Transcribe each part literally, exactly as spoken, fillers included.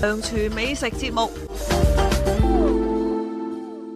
梁廚美食節目，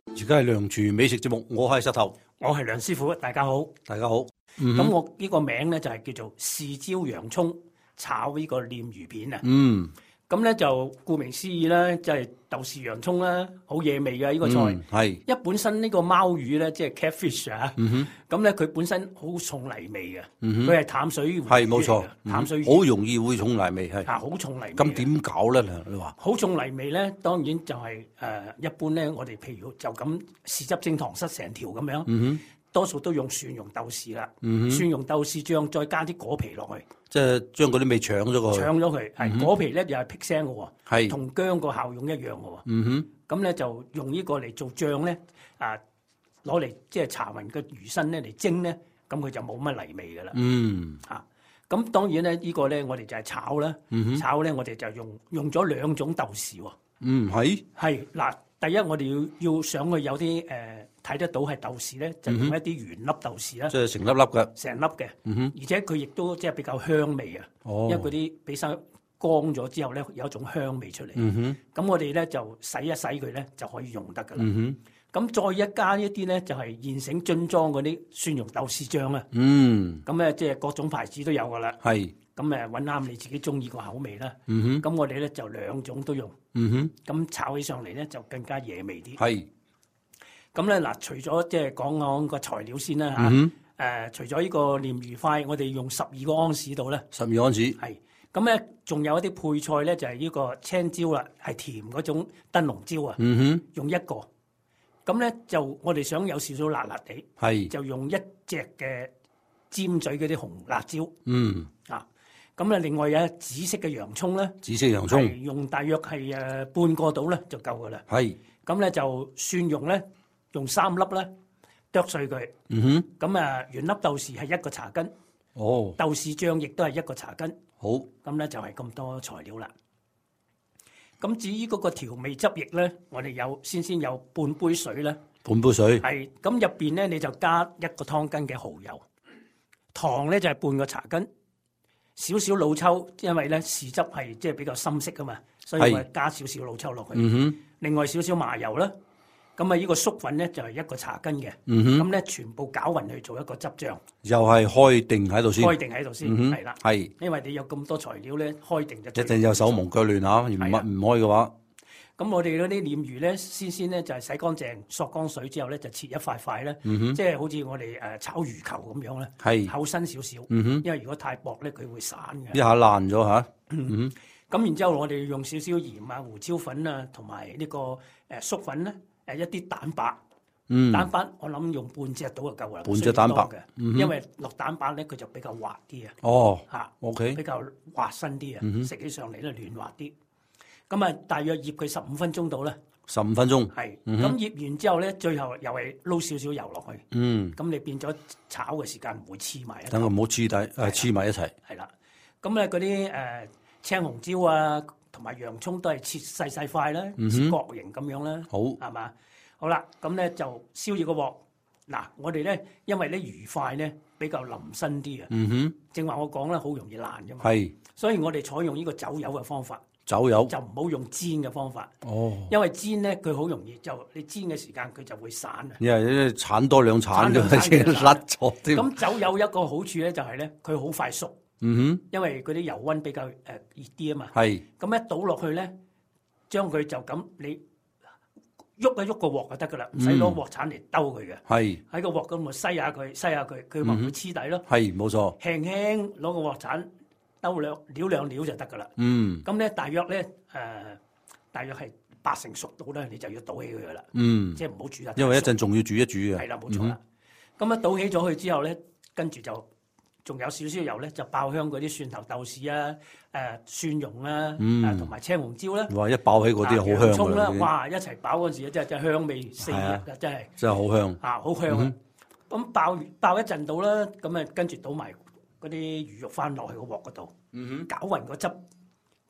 而家係梁廚美食節目，我係石頭，我係梁師傅，大家好。大家好。咁、嗯、我呢個名咧就係叫做豉椒洋葱炒呢個鯰魚片啊。嗯，咁咧就顧名思義啦，就係豆豉洋葱啦，好惹味嘅呢個菜。係、嗯。一本身呢個貓魚咧，即係 catfish 啊。嗯咁咧佢本身好重泥味嘅，佢、嗯、係淡水魚。係冇錯，淡水魚好容易會重泥味係。啊，好重泥味。咁點搞咧？你話好重泥味咧，當然就係、是、誒、呃、一般咧，我哋譬如就咁豉汁蒸糖塞成條咁樣。嗯多數都用蒜蓉豆豉啦、嗯，蒜蓉豆豉醬再加啲果皮落去，即係將嗰啲味搶咗佢。搶咗佢，係、嗯、果皮咧又係辟腥嘅喎，係同薑個效用一樣嘅喎。嗯哼，咁咧就用呢個嚟做醬咧，啊攞嚟即係搽勻個魚身咧嚟蒸咧，咁佢就冇乜泥味嘅啦。嗯，啊，咁當然咧呢、呢個咧我哋就係炒啦、嗯，炒咧我哋就用用咗兩種豆豉喎。嗯，係係嗱，第一我哋要要想佢有啲誒。呃睇得到係豆豉咧，就用一啲圓粒豆豉啦，即係成粒粒嘅，成粒嘅、嗯，而且佢亦都即係比較香味啊、哦。因為嗰啲俾晒乾咗之後咧，有一種香味出嚟。咁、嗯、我哋咧就洗一洗佢咧，就可以用得噶啦。咁、嗯、再一加一啲咧，就係、是、現成樽裝嗰啲蒜蓉豆豉醬啊。咁、嗯、咧即係各種牌子都有噶啦。係咁誒，揾啱你自己中意個口味啦。咁、嗯、我哋咧就兩種都用。咁、嗯、炒起上嚟咧就更加惹味啲。係。咁咧嗱，除咗即係講講個材料先啦嚇，誒、嗯呃，除咗呢個鯰魚塊，我哋用十二個安士度咧，十二安士，係，咁咧仲有一啲配菜咧，就係、是、呢個青椒啦，係甜嗰種燈籠椒啊、嗯，用一個，咁咧就我哋想有少少辣辣地，係，就用一隻嘅尖嘴嗰啲紅辣椒，嗯，啊，咁咧另外有紫色嘅洋葱咧，紫色洋葱，用大約係誒半個度咧就夠噶啦，係，咁咧就蒜蓉咧。用三粒咧剁碎佢，嗯哼，咁啊原粒豆豉係一個茶羹，哦，豆豉醬亦都係一個茶羹，好，咁咧就係咁多材料啦。咁至於嗰個調味汁液咧，我哋有先先有半杯水啦，半杯水，係，咁入邊咧你就加一個湯羹嘅蠔油，糖咧就係半個茶羹，少少老抽，因為咧豉汁係即係比較深色噶嘛，所以我加少少老抽落去，嗯哼，另外少少麻油啦。咁啊，呢個粟粉咧就係一個茶羹嘅，咁、嗯、咧全部攪勻去做一個汁醬，又係開定喺度先，開定喺度先，係、嗯、啦，係，因為你有咁多材料咧，開定就一定有手忙腳亂嚇，唔唔開嘅話，咁我哋嗰啲鯰魚咧，先先咧就係洗乾淨，索乾水之後咧就切一塊塊咧，即、嗯、係、就是、好似我哋誒炒魚球咁樣咧，係厚身少少、嗯，因為如果太薄咧，佢會散嘅，一下爛咗嚇，咁、嗯、然之後我哋用少少鹽啊、胡椒粉啊，同埋呢個誒粟粉咧。誒一啲蛋白，嗯、蛋白我諗用半隻到就夠啦，半隻蛋白嘅、嗯，因為落蛋白咧佢就比較滑啲啊。哦，嚇 ，OK，比較滑身啲啊，食、嗯、起上嚟咧嫩滑啲。咁啊，大約醃佢十五分鐘到啦。十五分鐘。係。咁、嗯、醃完之後咧，最後又係撈少少油落去。嗯。咁你變咗炒嘅時間唔會黐埋一齊。等佢唔好黐底，誒黐埋一齊。係啦。咁咧嗰啲誒青紅椒啊。同埋洋葱都係切細細塊啦，切角形咁樣啦，好係嘛？好啦，咁咧就燒熱個鑊。嗱，我哋咧因為咧魚塊咧比較腍身啲啊，嗯哼，正話我講咧好容易爛㗎嘛，係，所以我哋採用呢個走油嘅方法，走油就唔好用煎嘅方法，哦，因為煎咧佢好容易就你煎嘅時間佢就會散啊，因為鏟多兩鏟就甩咗添。咁走油一個好處咧就係咧佢好快熟。嗯哼，因為嗰啲油溫比較誒熱啲啊嘛，係，咁一倒落去咧，將佢就咁你喐一喐個鑊就得噶啦，唔使攞鑊鏟嚟兜佢嘅，係，喺個鑊咁咪篩下佢，篩下佢，佢咪唔會黐底咯，係，冇錯，輕輕攞個鑊鏟兜兩撩兩撩就得噶啦，嗯，咁咧大約咧誒、呃，大約係八成熟到咧，你就要倒起佢噶啦，嗯，即係唔好煮得，因為一陣仲要煮一煮嘅，係啦，冇錯啦，咁、嗯、一倒起咗佢之後咧，跟住就。仲有少少油咧，就爆香嗰啲蒜頭豆豉啊、誒、呃、蒜蓉啊、誒同埋青紅椒咧。哇！一爆起嗰啲好香㗎啦。哇！一齊爆嗰陣時，真係真係香味四溢啊！真係。真係好香。啊，好香啊！咁、嗯、爆爆一陣到啦，咁啊跟住倒埋嗰啲魚肉翻落去個鑊嗰度，嗯哼，攪勻個汁，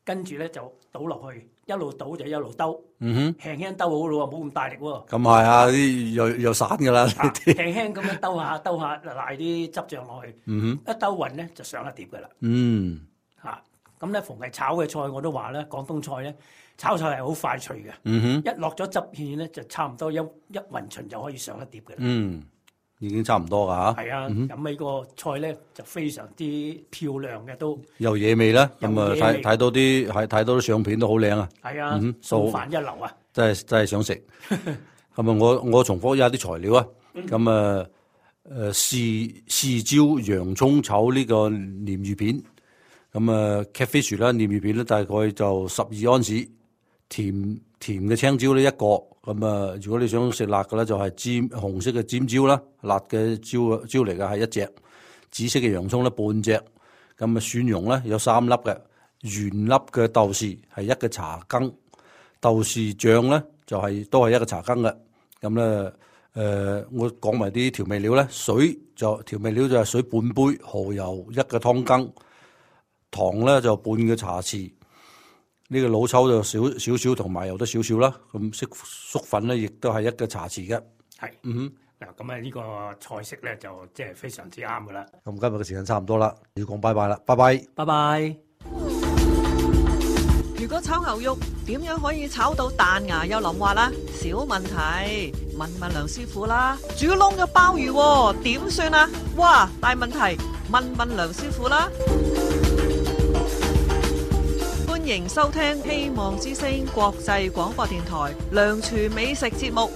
跟住咧就倒落去，一路倒就一路兜，嗯哼，輕輕兜好咯喎，冇咁大力喎。咁係啊，啲又又散㗎啦。輕輕咁樣兜下兜下，賴啲汁醬落去，嗯哼，一兜勻咧就上一碟㗎啦。嗯，嚇，咁咧逢係炒嘅菜我都話咧，廣東菜咧炒菜係好快脆嘅。嗯哼，一落咗汁芡咧，就差唔多一一勻巡就可以上一碟嘅啦。嗯，已經差唔多㗎嚇。係啊，咁呢個菜咧就非常之漂亮嘅都。有野味啦，咁啊睇睇到啲係睇到啲相片都好靚啊。係啊，餸飯一流啊！真係真係想食。咁啊，我我重複一下啲材料啊。咁啊誒豉豉椒洋葱炒呢個鯰魚片。咁啊 catfish 啦，鯰魚片咧大概就十二盎司，甜甜嘅青椒呢一個。咁啊，如果你想食辣嘅咧，就係尖紅色嘅尖椒啦，辣嘅椒椒嚟嘅係一隻，紫色嘅洋葱咧半隻。咁啊蒜蓉咧有三粒嘅，原粒嘅豆豉係一個茶羹，豆豉醬咧就係、是、都係一個茶羹嘅。咁咧誒，我講埋啲調味料咧，水就調味料就係水半杯，蠔油一個湯羹。糖咧就半個茶匙，呢、這個老抽就少少少，同埋油得少少啦。咁色粟粉咧亦都係一個茶匙嘅。係，嗯嗱，咁啊呢個菜式咧就即係非常之啱噶啦。咁今日嘅時間差唔多啦，要講拜拜啦，拜拜，拜拜。如果炒牛肉點樣可以炒到彈牙又腍滑啦？小問題，問問梁師傅啦。煮燶咗鮑魚點算啊？哇，大問題，問問梁師傅啦。歡迎收聽希望之聲國際廣播電台梁廚美食節目。